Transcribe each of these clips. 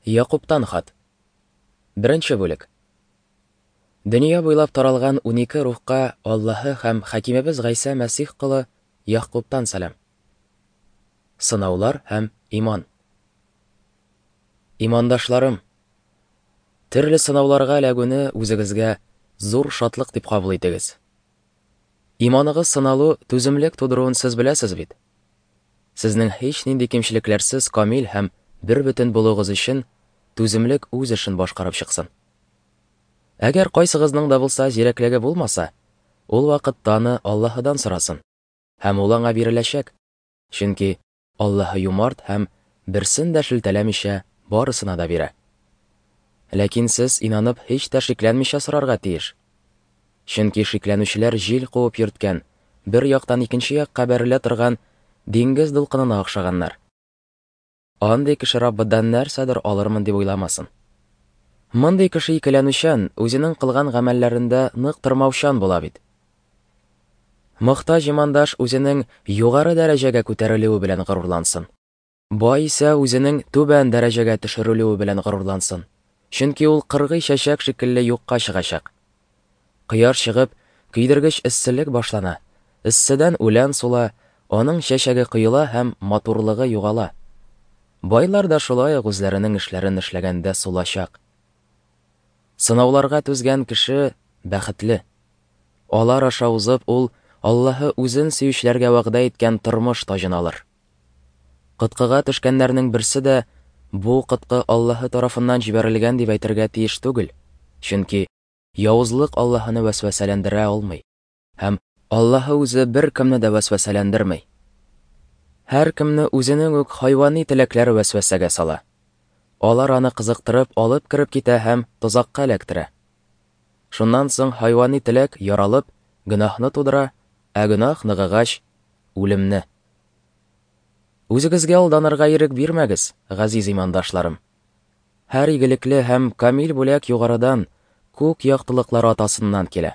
Якубтан хат. Беренче бүлек. Дөнья буйлап таралган 12 рухка Аллаһы һәм Хакимебез Гайсә Мәсих колы Ягъкубтан сәлам. Сынаулар һәм иман. Имандашларым, төрле сынауларга эләгүне үзегезгә зур шатлык дип кабул итегез. Иманыгыз сыналу түземлек тудыруын сез беләсез бит. Сезнең һичнинди кимчелекләрсез камил һәм бербөтен булуыгыз өчен түземлек үз эшен башкарып чыксын. Әгәр кайсыгызның да булса зирәклеге булмаса, ул вакытта аны Аллаһыдан сорасын, һәм ул аңа биреләчәк. Чөнки Аллаһы юмарт һәм берсен дә шелтәләмичә барысына да бирә. Ләкин сез инанып һич тә шикләнмичә сорарга тиеш. Чөнки шикләнүчеләр җил куып йөрткән, бер яктан икенче якка бәрелә торган диңгез дулкынына охшаганнар. Андый кеше Раббыдан нәрсәдер алырмын дип уйламасын. Мондый кеше икеләнүчән, үзенең кылган гамәлләрендә нык тормаучан була бит. Мохтаҗ имандаш үзенең югары дәрәҗәгә күтәрелүе белән горурлансын. Бай исә үзенең түбән дәрәҗәгә төшерелүе белән горурлансын. Чөнки ул кыргый чәчәк шикелле юкка чыгачак. Кояш чыгып, көйдергеч эсселек башлана. Эсседән үлән сула, аның чәчәге коела һәм матурлыгы югала. Байлар да шулай ук үзләренең эшләрен эшләгәндә сулачак. Сынауларга түзгән кеше бәхетле. Алар аша узып, ул Аллаһы үзен сөючеләргә вәгъдә иткән тормыш таҗын алыр. Коткыга төшкәннәрнең берсе дә бу коткы Аллаһы тарафыннан җибәрелгән дип әйтергә тиеш түгел, чөнки явызлык Аллаһыны вәсвәсәләндерә алмый, һәм Аллаһы үзе беркемне дә вәсвәсәләндерми. Һәркемне үзенең үк хайвани теләкләре вәсвәсәгә сала. Алар аны кызыктырып алып кереп китә һәм тозакка эләктерә. Шуннан соң хайвани теләк яралып, гөнаһны тудыра, ә гөнаһ ныгыгач, үлемне. Үзегезгә алданырга ирек бирмәгез, газиз имандашларым. Һәр игелекле һәм камил бүләк югарыдан, күк яктылыклары атасыннан килә.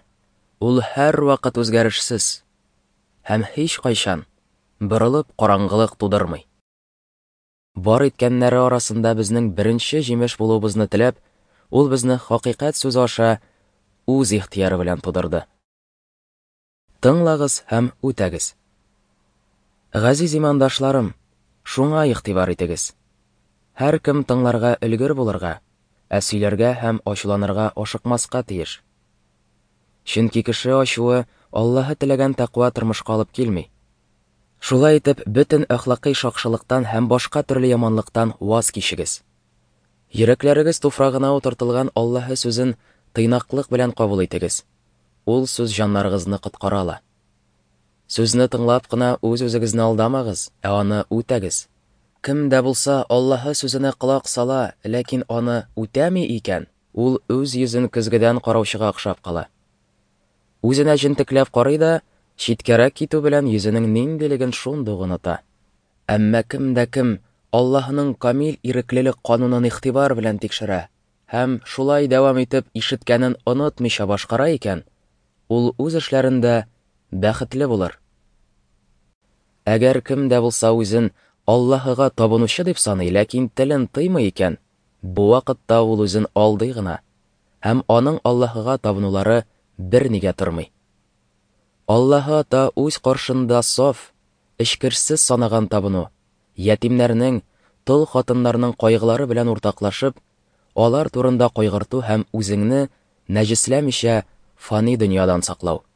Ул һәрвакыт үзгәрешсез һәм һичкайчан борылып караңгылык тудырмый. Бар иткәннәре арасында безнең беренче җимеш булуыбызны теләп, ул безне хакыйкать сүзе аша үз ихтыяры белән тудырды. Тыңлагыз һәм үтәгез. Газиз имандашларым, шуңа игътибар итегез. Һәркем тыңларга өлгер булырга, ә сөйләргә һәм ачуланырга ашыкмаска тиеш. Чөнки кеше ачуы Аллаһы теләгән тәкъва тормышка алып килми. Шулай итеп, бөтен әхлакый шакшылыктан һәм башка төрле яманлыктан ваз кичегез. Йөрәкләрегез туфрагына утыртылган Аллаһы сүзен тыйнаклык белән кабул итегез. Ул сүз җаннарыгызны коткара ала. Сүзне тыңлап кына үз-үзегезне алдамагыз, ә аны үтәгез. Кем дә булса Аллаһы сүзенә колак сала, ләкин аны үтәми икән, ул үз йөзен көзгедән караучыга охшап кала. Үзенә җентекләп карый да, читкәрәк китү белән йөзенең ниндилеген шундук оныта. Әмма кем дә кем Аллаһының камил иреклелек канунын игътибар белән тикшерә һәм шулай дәвам итеп ишеткәнен онытмыйча башкара икән, ул үз эшләрендә бәхетле булыр. Әгәр кем дә булса үзен Аллаһыга табынучы дип саный, ләкин телен тыймый икән, бу вакытта ул үзен алдый гына, һәм аның Аллаһыга табынулары бернигә тормый. Аллаһы Ата үз каршында саф, эчкерсез санаган табыну, ятимнәрнең, тол хатыннарның кайгылары белән уртаклашып, алар турында кайгырту һәм үзеңне нәҗесләмичә фани дөньядан саклау.